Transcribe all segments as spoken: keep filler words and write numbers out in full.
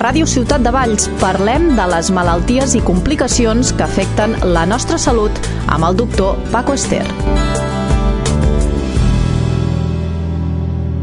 Ràdio Ciutat de Valls parlem de les malalties i complicacions que afecten la nostra salut amb el doctor Paco Ester.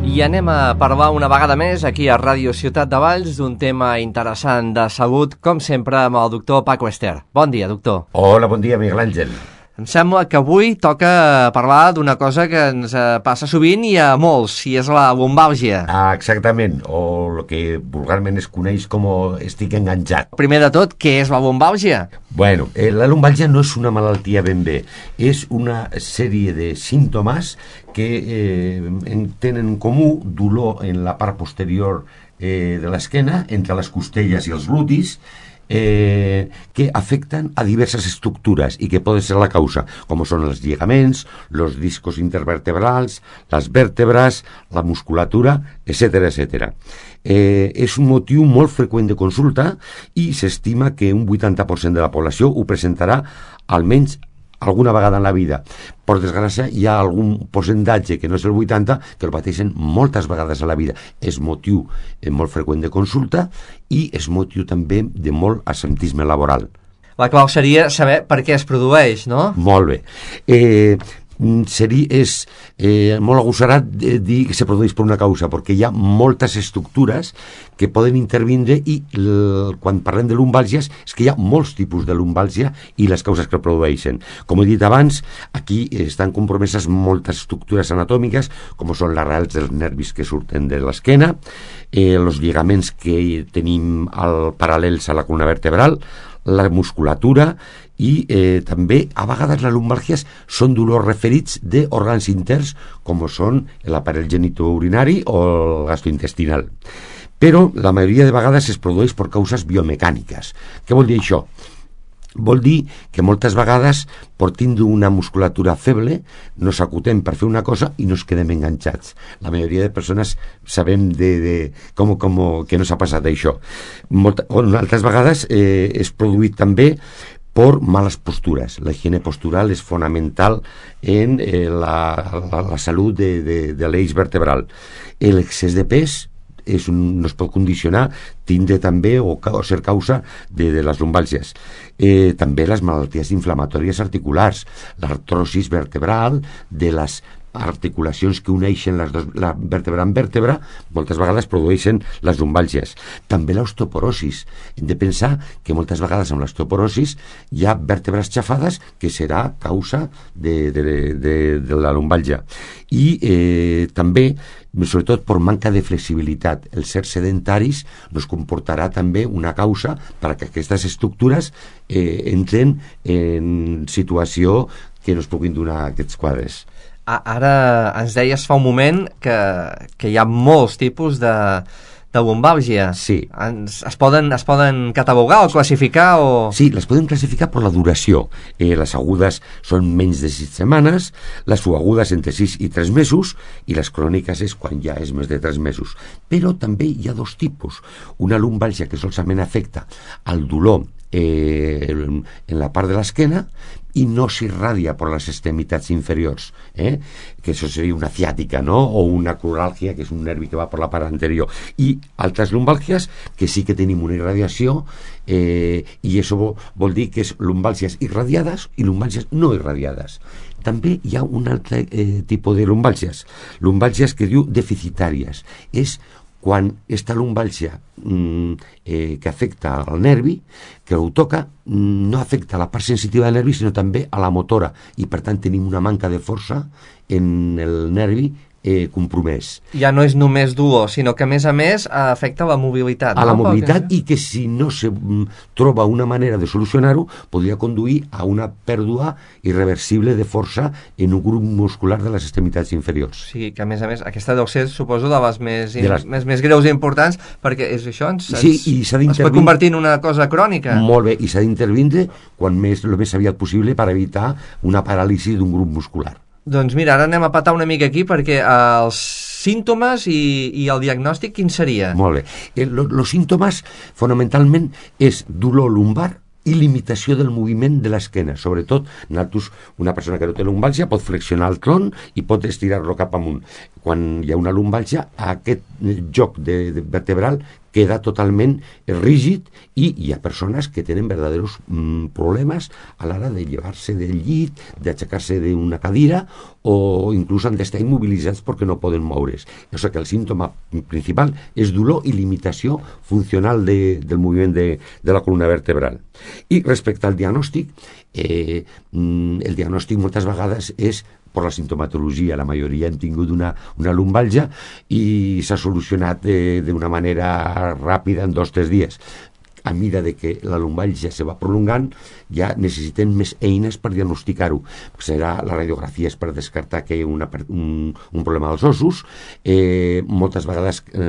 I anem a parlar una vegada més aquí a Ràdio Ciutat de Valls d'un tema interessant de salut, com sempre, amb el doctor Paco Ester. Bon dia, doctor. Hola, bon dia, Miguel Àngel. Em sembla que avui toca parlar d'una cosa que ens passa sovint i a molts, i és la lumbàlgia. Ah, exactament, o el que vulgarment es coneix com estic enganxat. Primer de tot, què és la lumbàlgia? Bueno, eh, la lumbàlgia no és una malaltia ben bé, és una sèrie de símptomes que eh, tenen en comú dolor en la part posterior eh, de l'esquena, entre les costelles i els glutis, Eh, que afecten a diverses estructures i que poden ser la causa, com són els lligaments, els discos intervertebrals, les vèrtebres, la musculatura, etcètera, etcètera. Eh, és un motiu molt freqüent de consulta i s'estima que un vuitanta per cent de la població ho presentarà almenys alguna vegada en la vida. Per desgràcia, hi ha algun percentatge, que no és el vuitanta, que el pateixen moltes vegades a la vida. És motiu eh, molt freqüent de consulta i és motiu també de molt absentisme laboral. La clau seria saber per què es produeix, no? Molt bé. Eh, seria, és eh, molt agossarat dir que se produeix per una causa, perquè hi ha moltes estructures que poden intervindre i l, quan parlem de lumbàlgies és que hi ha molts tipus de lumbàlgia i les causes que el produeixen. Com he dit abans, aquí estan compromeses moltes estructures anatòmiques, com són les arrels dels nervis que surten de l'esquena, eh, els lligaments que tenim al, paral·lels a la columna vertebral, la musculatura i eh, també a vegades les lumbàlgies són dolors referits d'òrgans interns com són l'aparell genitourinari o el gastrointestinal. Però la majoria de vegades es produeix per causes biomecàniques. Què vol dir això? Vol dir que moltes vegades, per tindre una musculatura feble, nos acutem per fer una cosa i nos quedem enganxats. La majoria de persones sabem de, de com, com, que no s'ha passat això. Molt, altres vegades eh, és produït també per males postures. La higiene postural és fonamental en eh, la, la, la salut de, de, de l'eix vertebral. L'excés de pes és un, no es pot condicionar, tindre també o, o ser causa de, de les lumbàlgies. Eh, també les malalties inflamatòries articulars, l'artrosis vertebral, de les articulacions que uneixen les dos, la vèrtebra amb vèrtebra, moltes vegades produeixen les lumbàlgies. També l'osteoporosis. Hem de pensar que moltes vegades amb l'osteoporosis hi ha vèrtebres xafades que serà causa de, de, de, de la lumbàlgia. I eh, també, sobretot per manca de flexibilitat, el ser sedentaris nos comportarà també una causa perquè aquestes estructures eh, entren en situació que no es puguin donar aquests quadres. Ara ens deies fa un moment que, que hi ha molts tipus de, de lumbàlgia. Sí. Ens, es, poden, es poden catalogar o classificar? O... Sí, les podem classificar per la duració. Eh, les agudes són menys de sis setmanes, les subagudes entre sis i tres mesos i les cròniques és quan ja és més de tres mesos. Però també hi ha dos tipus. Una lumbàlgia que solament afecta al dolor eh, en la part de l'esquena i no s'irradia per les extremitats inferiors, eh? que això seria una ciàtica, no? O una cruràlgia, que és un nervi que va per la part anterior, i altres lumbàlgies que sí que tenim una irradiació eh, i això vol dir que és lumbàlgies irradiades i lumbàlgies no irradiades. També hi ha un altre eh, tipus de lumbàlgies, lumbàlgies que diu deficitàries. És quan esta lumbàlgia mm, eh, que afecta al nervi, que ho toca, no afecta a la part sensitiva del nervi, sinó també a la motora, i per tant tenim una manca de força en el nervi eh, compromès. Ja no és només dolor, sinó que a més a més afecta la mobilitat. A no? la mobilitat i que si no se troba una manera de solucionar-ho podria conduir a una pèrdua irreversible de força en un grup muscular de les extremitats inferiors. Sí, que a més a més aquesta deu ser, suposo, de les més, de les... més, més greus i importants, perquè és això, ens, sí, i s'ha es pot convertir en una cosa crònica. Molt bé, i s'ha d'intervindre quan més, el més aviat possible per evitar una paràlisi d'un grup muscular. Doncs mira, ara anem a patar una mica aquí perquè els símptomes i, i el diagnòstic quin seria? Molt bé. Els símptomes fonamentalment és dolor lumbar i limitació del moviment de l'esquena. Sobretot, nosaltres, una persona que no té lumbàlgia pot flexionar el tronc i pot estirar-lo cap amunt. quan hi ha una lumbàlgia, aquest joc de, de vertebral queda totalment rígid i hi ha persones que tenen verdaderos mm, problemes a l'hora de llevar-se del llit, d'aixecar-se d'una cadira o inclús han d'estar immobilitzats perquè no poden moure's. O sigui que el símptoma principal és dolor i limitació funcional de, del moviment de, de la columna vertebral. I respecte al diagnòstic, eh, el diagnòstic moltes vegades és per la sintomatologia. La majoria hem tingut una, una lumbàlgia i s'ha solucionat d'una manera ràpida en dos o tres dies. A mesura de que la lumbàlgia se va prolongant, ja necessitem més eines per diagnosticar-ho. Serà la radiografia és per descartar que hi ha una, un, un problema dels ossos. Eh, moltes vegades eh,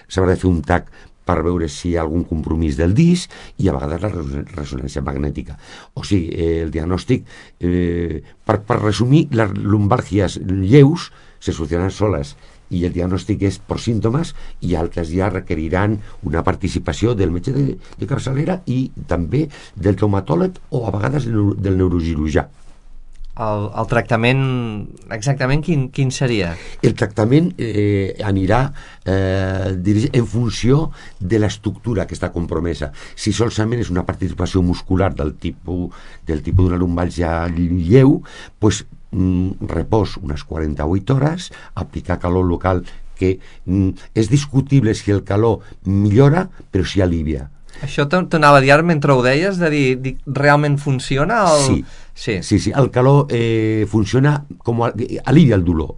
s'haurà de fer un tac per veure si hi ha algun compromís del disc i a vegades la ressonància magnètica. O sigui, eh, el diagnòstic, eh, per, per resumir, les lumbàlgies lleus se solucionen soles i el diagnòstic és per símptomes i altres ja requeriran una participació del metge de, de capçalera i també del traumatòleg o a vegades del, del neurocirurgià. El, el tractament, exactament quin, quin seria? El tractament eh, anirà eh, en funció de l'estructura que està compromesa. Si solament és una participació muscular del tipus, del tipus d'una lumbàlgia lleu, pues, mm, repòs unes quaranta-vuit hores, aplicar calor local, que mm, és discutible si el calor millora, però si alivia. Això t'anava a dir mentre ho deies, de dir, dir realment funciona? El... Sí. Sí. sí, sí, el calor eh, funciona com a, alivia el dolor.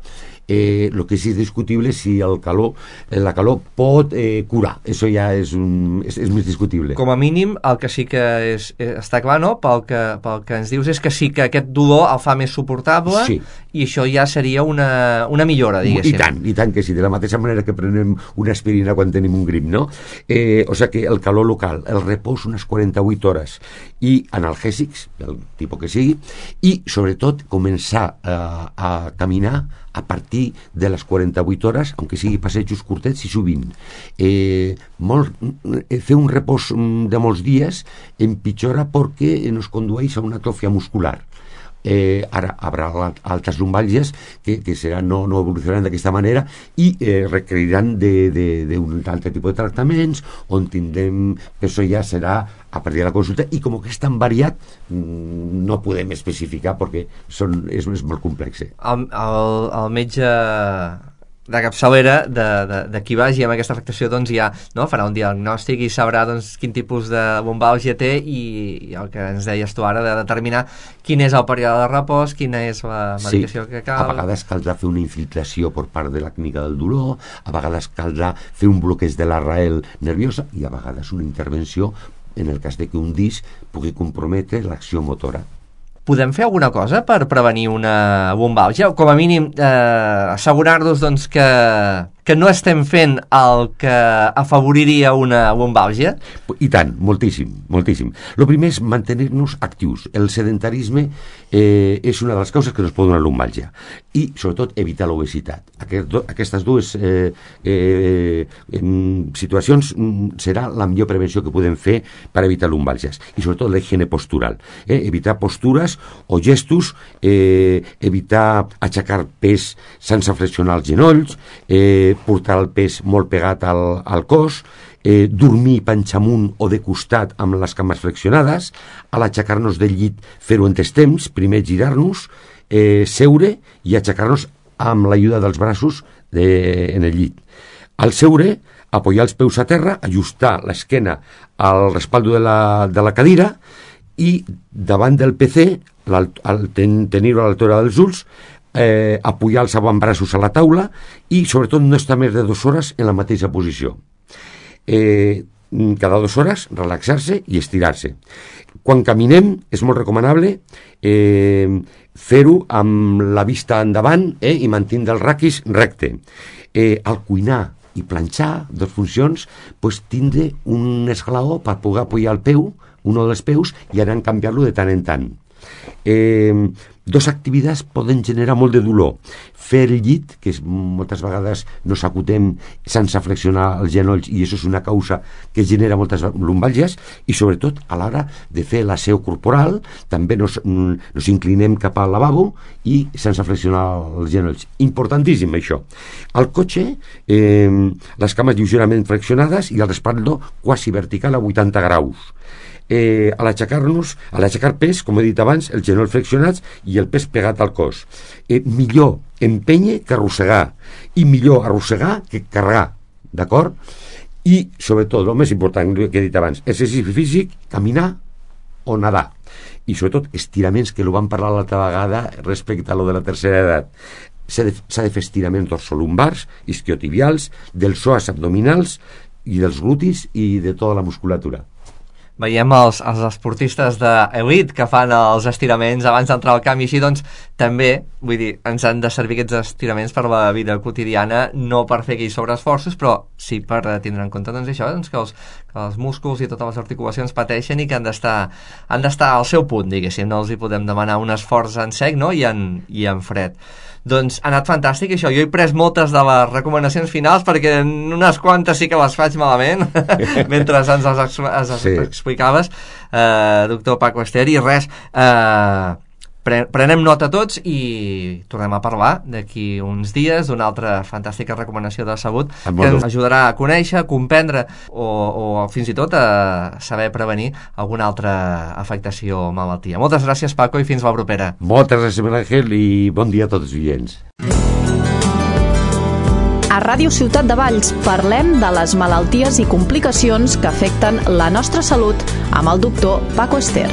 Eh, lo que sí és discutible si el calor, eh, la calor pot eh, curar. Eso ja és, un, és, és més discutible. Com a mínim, el que sí que és, està clar, no? Pel que, pel que ens dius és que sí que aquest dolor el fa més suportable, sí. I això ja seria una, una millora, diguéssim. I tant, i tant que sí, de la mateixa manera que prenem una aspirina quan tenim un grip, no? Eh, o sigui que el calor local, el repòs unes quaranta-vuit hores i analgèsics, del tipus que sigui, i sobretot començar a, a caminar a partir de les quaranta-vuit hores, aunque sigui passejos curtets i sovint. Eh, molt, fer un repòs de molts dies empitjora perquè ens condueix a una atròfia muscular. Eh, ara haurà altres lumbàlgies que, que seran, no, no evolucionaran d'aquesta manera i eh, requeriran d'un altre tipus de tractaments on tindrem, això ja serà a partir de la consulta i com que és tan variat no podem especificar perquè són, és, és molt complex. El, el, el metge de capçalera de, de, de qui vagi amb aquesta afectació doncs ja no, farà un diagnòstic i sabrà doncs, quin tipus de lumbàlgia té i, i el que ens deies tu ara de determinar quin és el període de repòs, quina és la medicació sí, que cal. A vegades caldrà fer una infiltració per part de la clínica del dolor, a vegades caldrà fer un bloqueig de l'arrel nerviosa i a vegades una intervenció en el cas de que un disc pugui comprometre l'acció motora. Podem fer alguna cosa per prevenir una lumbàlgia? O com a mínim eh, assegurar-nos doncs, que, que no estem fent el que afavoriria una lumbàlgia? I tant, moltíssim, moltíssim. El primer és mantenir-nos actius. El sedentarisme eh, és una de les causes que ens pot donar lumbàlgia. I, sobretot, evitar l'obesitat. Aquest, aquestes dues eh, eh, situacions serà la millor prevenció que podem fer per evitar lumbàlgies. I, sobretot, la higiene postural. Eh? Evitar postures o gestos, eh, evitar aixecar pes sense flexionar els genolls, eh, portar el pes molt pegat al, al cos, eh, dormir panxamunt o de costat amb les cames flexionades, a l'aixecar-nos del llit fer-ho en tres temps, primer girar-nos, eh, seure i aixecar-nos amb l'ajuda dels braços de, en el llit. Al seure, apoyar els peus a terra, ajustar l'esquena al respaldo de la, de la cadira i davant del P C, ten, tenir-ho a l'altura dels ulls, eh, apoyar els avantbraços a la taula i sobretot no estar més de dues hores en la mateixa posició. Eh, cada dues hores relaxar-se i estirar-se. Quan caminem és molt recomanable eh, fer-ho amb la vista endavant eh, i mantindre el raquis recte. Eh, al cuinar i planxar, dos funcions, pues, tindre un esglaó per poder apoyar el peu, un dels peus, i anar a canviar-lo de tant en tant. Eh, dos activitats poden generar molt de dolor. Fer el llit, que és, moltes vegades nos acutem sense flexionar els genolls, i això és una causa que genera moltes lumbàlgies, i sobretot a l'hora de fer l'aseo corporal també nos, nos inclinem cap al lavabo i sense flexionar els genolls. Importantíssim això. Al cotxe, eh, les cames lleugerament flexionades i el respaldo quasi vertical a vuitanta graus. Eh, a l'aixecar-nos, a l'aixecar pes, com he dit abans, els genolls flexionats i el pes pegat al cos. Eh, millor empènyer que arrossegar, i millor arrossegar que carregar, d'acord? I, sobretot, el més important que he dit abans, exercici físic, caminar o nedar. I, sobretot, estiraments, que ho vam parlar l'altra vegada respecte a lo de la tercera edat. S'ha de, s'ha de fer estiraments dorsolumbars, isquiotibials, dels psoas abdominals i dels glutis i de tota la musculatura. Veiem els, els esportistes d'elit que fan els estiraments abans d'entrar al camp, i així doncs també, vull dir, ens han de servir aquests estiraments per la vida quotidiana, no per fer aquells sobreesforços, però sí per tindre en compte doncs això, doncs, que, els, que els músculs i totes les articulacions pateixen i que han d'estar han d'estar al seu punt, diguéssim, no els hi podem demanar un esforç en sec, no? I en, i en fred. Doncs ha anat fantàstic això, jo he pres moltes de les recomanacions finals perquè unes quantes sí que les faig malament mentre ens les ex sí. explicaves, eh, doctor Paco Ester, i res, eh, pre prenem nota tots i tornem a parlar d'aquí uns dies d'una altra fantàstica recomanació de salut que ens ajudarà a conèixer, a comprendre o, o fins i tot a saber prevenir alguna altra afectació o malaltia. Moltes gràcies, Paco, i fins la propera. Moltes gràcies, Àngel, i bon dia a tots els oients. A Ràdio Ciutat de Valls parlem de les malalties i complicacions que afecten la nostra salut amb el doctor Paco Ester.